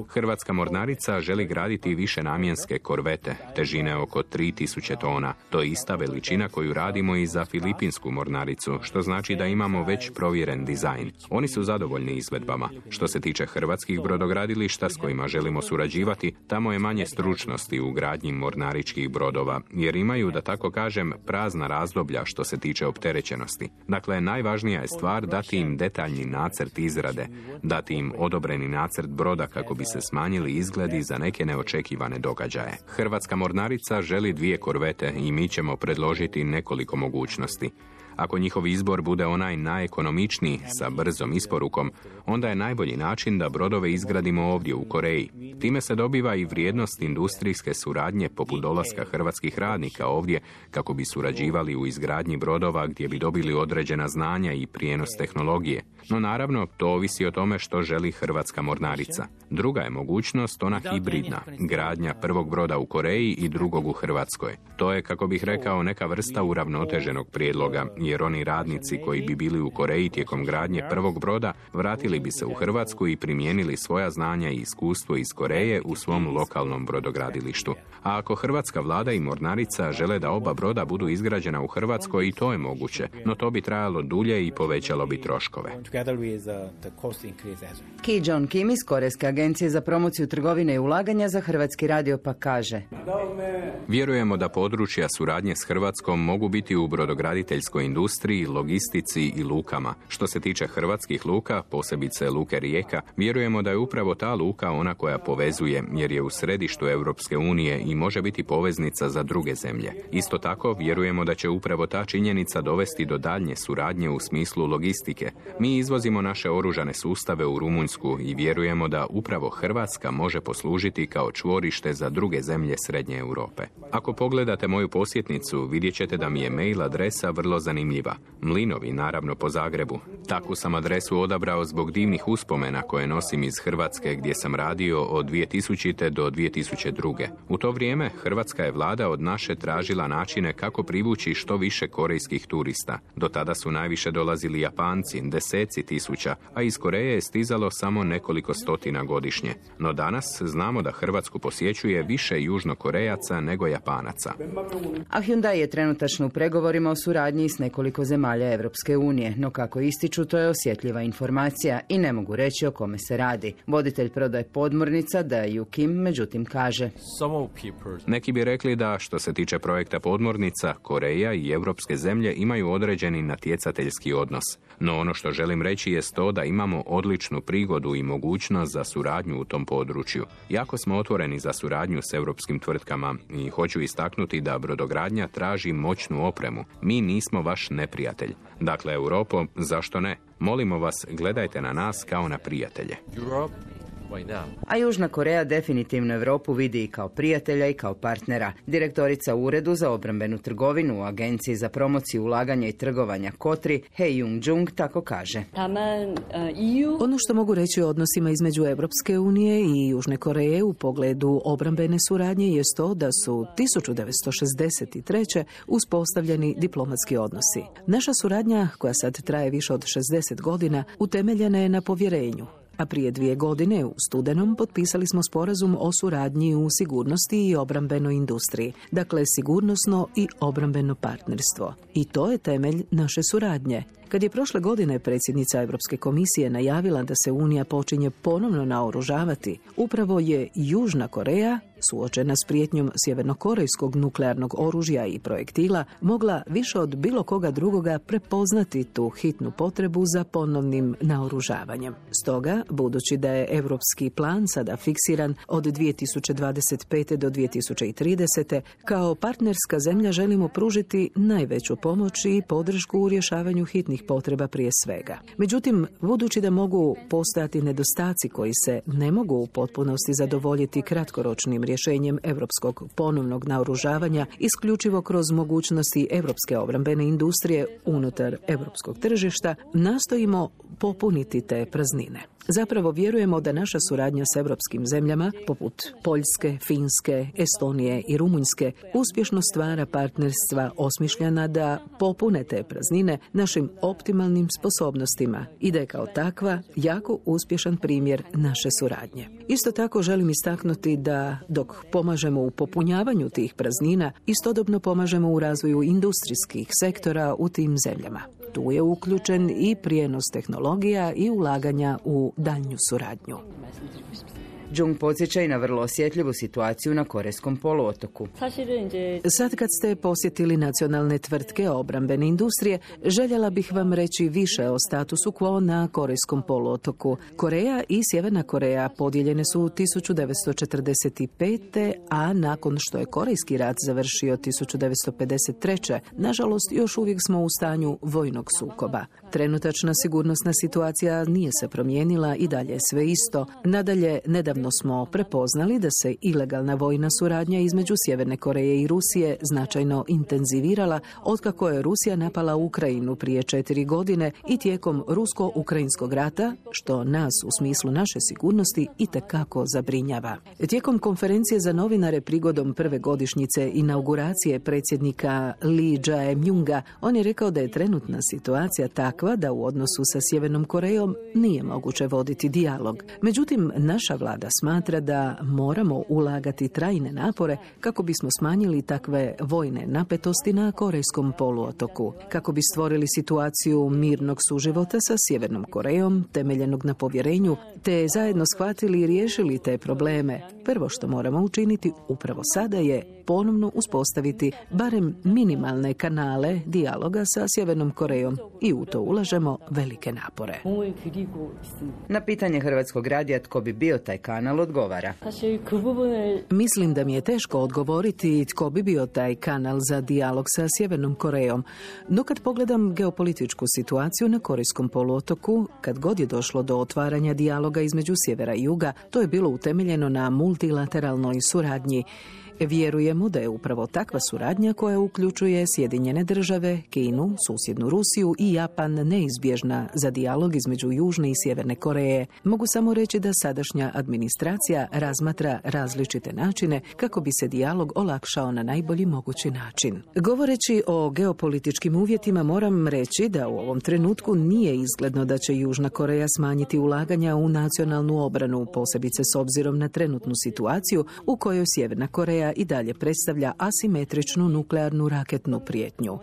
Hrvatska mornarica želi graditi više namjenske korvete, težine oko tri tisuće tona. To je ista veličina koju radimo i za filipinsku mornaricu, što znači da imamo već provjeren dizajn. Oni su zadovoljni izvedbama. Što se tiče hrvatskih brodogradilišta s kojima želimo surađivati, tamo je manje stručnosti u gradnji mornaričkih brodova, jer imaju, da tako kažem, prazna razdoblja što se tiče opterećenosti. Dakle, najvažnija je stvar dati dati im detaljni nacrt izrade, dati im odobreni nacrt broda kako bi se smanjili izgledi za neke neočekivane događaje. Hrvatska mornarica želi dvije korvete i mi ćemo predložiti nekoliko mogućnosti. Ako njihov izbor bude onaj najekonomičniji sa brzom isporukom, onda je najbolji način da brodove izgradimo ovdje u Koreji. Time se dobiva i vrijednost industrijske suradnje poput dolaska hrvatskih radnika ovdje kako bi surađivali u izgradnji brodova gdje bi dobili određena znanja i prijenos tehnologije. No naravno, to ovisi o tome što želi hrvatska mornarica. Druga je mogućnost ona hibridna, gradnja prvog broda u Koreji i drugog u Hrvatskoj. To je, kako bih rekao, neka vrsta uravnoteženog prijedloga, jer oni radnici koji bi bili u Koreji tijekom gradnje prvog broda vratili bi se u Hrvatsku i primijenili svoja znanja i iskustvo iz Koreje u svom lokalnom brodogradilištu. A ako hrvatska vlada i mornarica žele da oba broda budu izgrađena u Hrvatskoj, i to je moguće, no to bi trajalo dulje i povećalo bi troškove. Ki John Kim iz Korejske agencije za promociju trgovine i ulaganja za Hrvatski radio pa kaže: Vjerujemo da područja suradnje s Hrvatskom mogu biti u brodograditeljskoj industriji, logistici i lukama. Što se tiče hrvatskih luka, posebice luke Rijeka, vjerujemo da je upravo ta luka ona koja povezuje, jer je u središtu Europske unije i može biti poveznica za druge zemlje. Isto tako, vjerujemo da će upravo ta činjenica dovesti do daljnje suradnje u smislu logistike. Mi izvozimo naše oružane sustave u Rumunjsku i vjerujemo da upravo Hrvatska može poslužiti kao čvorište za druge zemlje Srednje Europe. Ako pogledate moju posjetnicu, vidjet ćete da mi je mail adresa vrlo zanimljiva. Mlinovi, naravno po Zagrebu. Takvu sam adresu odabrao zbog divnih uspomena koje nosim iz Hrvatske gdje sam radio od dvije tisućite. do dvije tisuće druge. U to vrijeme hrvatska je vlada od naše tražila načine kako privući što više korejskih turista. Do tada su najviše dolazili Japanci, deseci tisuća, a iz Koreje je stizalo samo nekoliko stotina godišnje. No danas znamo da Hrvatsku posjećuje više južnokorejaca nego Japanaca. A Hyundai je trenutačno u pregovorima o suradnji s nekoliko zemalja Europske unije, no kako ističu, to je osjetljiva informacija i ne mogu reći o kome se radi. Voditelj prodaje podmornica Da-Yu Kim međutim kaže: Neki bi rekli da što se tiče projekta podmornica, Koreja i europske zemlje imaju određeni natjecateljski odnos. No ono što želim reći je to da imamo odličnu prigodu i mogućnost za suradnju u tom području. Jako smo otvoreni za suradnju s europskim tvrtkama i hoću istaknuti da brodogradnja traži moćnu opremu. Mi nismo vaš neprijatelj. Dakle, Europo, zašto ne? Molimo vas, gledajte na nas kao na prijatelje. A Južna Koreja definitivno Europu vidi i kao prijatelja i kao partnera. Direktorica u Uredu za obrambenu trgovinu u Agenciji za promociju ulaganja i trgovanja Kotri, Hee-Jung tako kaže: Ono što mogu reći o odnosima između Europske unije i Južne Koreje u pogledu obrambene suradnje jest to da su tisuću devetsto šezdeset treće uspostavljeni diplomatski odnosi. Naša suradnja, koja sad traje više od šezdeset godina, utemeljena je na povjerenju. A prije dvije godine u studenom potpisali smo sporazum o suradnji u sigurnosti i obrambenoj industriji. Dakle, sigurnosno i obrambeno partnerstvo. I to je temelj naše suradnje. Kad je prošle godine predsjednica Europske komisije najavila da se Unija počinje ponovno naoružavati, upravo je Južna Koreja, suočena s prijetnjom sjevernokorejskog nuklearnog oružja i projektila, mogla više od bilo koga drugoga prepoznati tu hitnu potrebu za ponovnim naoružavanjem. Stoga, budući da je europski plan sada fiksiran od dvije tisuće dvadeset pete. do dvije tisuće tridesete. kao partnerska zemlja želimo pružiti najveću pomoć i podršku u rješavanju hitnih potreba prije svega. Međutim, budući da mogu postojati nedostaci koji se ne mogu u potpunosti zadovoljiti kratkoročnim rješenjem europskog ponovnog naoružavanja isključivo kroz mogućnosti europske obrambene industrije unutar europskog tržišta, nastojimo popuniti te praznine. Zapravo vjerujemo da naša suradnja s europskim zemljama, poput Poljske, Finske, Estonije i Rumunjske, uspješno stvara partnerstva osmišljena da popune te praznine našim optimalnim sposobnostima i da je kao takva jako uspješan primjer naše suradnje. Isto tako želim istaknuti da dok pomažemo u popunjavanju tih praznina, istodobno pomažemo u razvoju industrijskih sektora u tim zemljama. Tu je uključen i prijenos tehnologija i ulaganja u daljnju suradnju. Jung podsjeća i na vrlo osjetljivu situaciju na Korejskom poluotoku. Sad kad ste posjetili nacionalne tvrtke obrambene industrije, željela bih vam reći više o statusu quo na Korejskom poluotoku. Koreja i Sjeverna Koreja podijeljene su tisuću devetsto četrdeset pete. a nakon što je Korejski rat završio tisuću devetsto pedeset treće. nažalost još uvijek smo u stanju vojnog sukoba. Trenutačna sigurnosna situacija nije se promijenila i dalje je sve isto. Nadalje, nedavno smo prepoznali da se ilegalna vojna suradnja između Sjeverne Koreje i Rusije značajno intenzivirala otkako je Rusija napala Ukrajinu prije četiri godine i tijekom rusko-ukrajinskog rata, što nas u smislu naše sigurnosti itekako zabrinjava. Tijekom konferencije za novinare prigodom prve godišnjice inauguracije predsjednika Lee Jae-myunga, on je rekao da je trenutna situacija takva da u odnosu sa Sjevernom Korejom nije moguće voditi dijalog. Međutim, naša vlada smatra da moramo ulagati trajne napore kako bismo smanjili takve vojne napetosti na Korejskom poluotoku, kako bi stvorili situaciju mirnog suživota sa Sjevernom Korejom, temeljenog na povjerenju, te zajedno shvatili i riješili te probleme. Prvo što moramo učiniti upravo sada je ponovno uspostaviti barem minimalne kanale dijaloga sa Sjevernom Korejom i u to ulažemo velike napore. Na pitanje Hrvatskog radija tko bi bio taj kanal odgovara. Mislim da mi je teško odgovoriti tko bi bio taj kanal za dijalog sa Sjevernom Korejom, no kad pogledam geopolitičku situaciju na Korejskom poluotoku, kad god je došlo do otvaranja dijaloga između sjevera i juga, to je bilo utemeljeno na multilateralnoj suradnji. Vjerujemo da je upravo takva suradnja koja uključuje Sjedinjene države, Kinu, susjednu Rusiju i Japan neizbježna za dijalog između Južne i Sjeverne Koreje. Mogu samo reći da sadašnja administracija razmatra različite načine kako bi se dijalog olakšao na najbolji mogući način. Govoreći o geopolitičkim uvjetima, moram reći da u ovom trenutku nije izgledno da će Južna Koreja smanjiti ulaganja u nacionalnu obranu, posebice s obzirom na trenutnu situaciju u kojoj Sjeverna Koreja i dalje predstavlja asimetričnu nuklearnu raketnu prijetnju.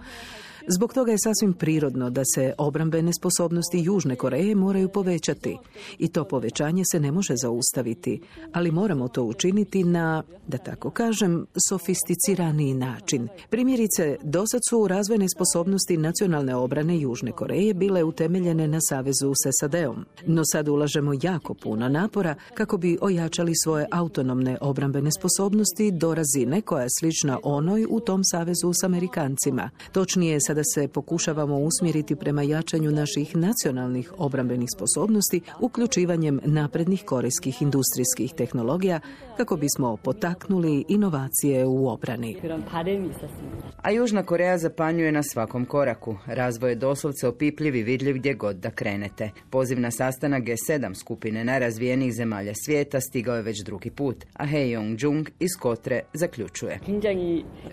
Zbog toga je sasvim prirodno da se obrambene sposobnosti Južne Koreje moraju povećati. I to povećanje se ne može zaustaviti, ali moramo to učiniti na, da tako kažem, sofisticiraniji način. Primjerice, dosad su razvojne sposobnosti nacionalne obrane Južne Koreje bile utemeljene na savezu s S A D-om. No sad ulažemo jako puno napora kako bi ojačali svoje autonomne obrambene sposobnosti do razine koja je slična onoj u tom savezu s Amerikancima. Točnije, sada se pokušavamo usmjeriti prema jačanju naših nacionalnih obrambenih sposobnosti uključivanjem naprednih korejskih industrijskih tehnologija kako bismo potaknuli inovacije u obrani. A Južna Koreja zapanjuje na svakom koraku. Razvoj je doslovce opipljiv i vidljiv gdje god da krenete. Poziv na sastanak G sedam skupine najrazvijenijih zemalja svijeta stigao je već drugi put, a Hee Yong-jung iz Kotre zaključuje.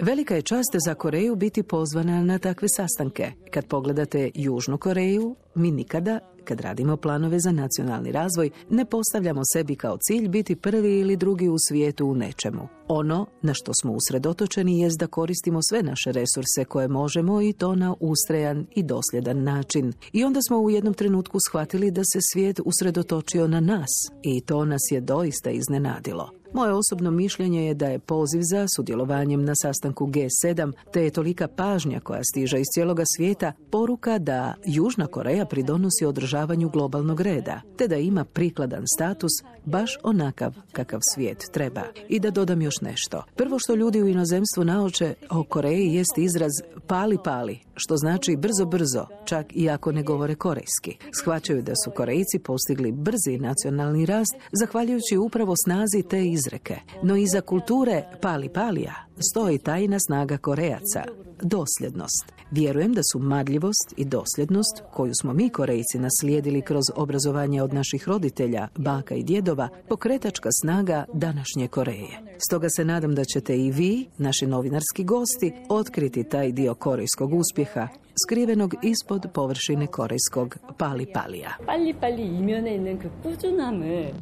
Velika je čast za Koreju biti pozvana na takve sastanke. Kad pogledate Južnu Koreju, mi nikada, kad radimo planove za nacionalni razvoj, ne postavljamo sebi kao cilj biti prvi ili drugi u svijetu u nečemu. Ono na što smo usredotočeni jest da koristimo sve naše resurse koje možemo i to na ustrajan i dosljedan način. I onda smo u jednom trenutku shvatili da se svijet usredotočio na nas i to nas je doista iznenadilo. Moje osobno mišljenje je da je poziv za sudjelovanjem na sastanku G sedam, te je tolika pažnja koja stiže iz cijeloga svijeta, poruka da Južna Koreja pridonosi održavanju globalnog reda, te da ima prikladan status baš onakav kakav svijet treba. I da dodam još nešto. Prvo što ljudi u inozemstvu nauče o Koreji jest izraz pali pali, što znači brzo brzo, čak i ako ne govore korejski. Shvaćaju da su Korejci postigli brzi nacionalni rast zahvaljujući upravo snazi te izreke. No iza kulture pali palija stoji tajna snaga Korejaca, dosljednost. Vjerujem da su marljivost i dosljednost, koju smo mi Korejci naslijedili kroz obrazovanje od naših roditelja, baka i djedova, pokretačka snaga današnje Koreje. Stoga se nadam da ćete i vi, naši novinarski gosti, otkriti taj dio korejskog uspjeha, skrivenog ispod površine korejskog pali palija. 빨리 빨리 이면에 있는 그 꾸준함을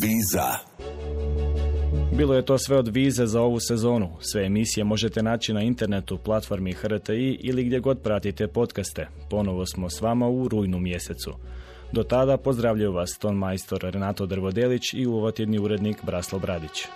Viza. Bilo je to sve od Vize za ovu sezonu. Sve emisije možete naći na internetu, platformi H R T I ili gdje god pratite podcaste. Ponovo smo s vama u rujnu mjesecu. Do tada pozdravljaju vas ton majstor Renato Drvodelić i uvotjedni urednik Braslo Bradić.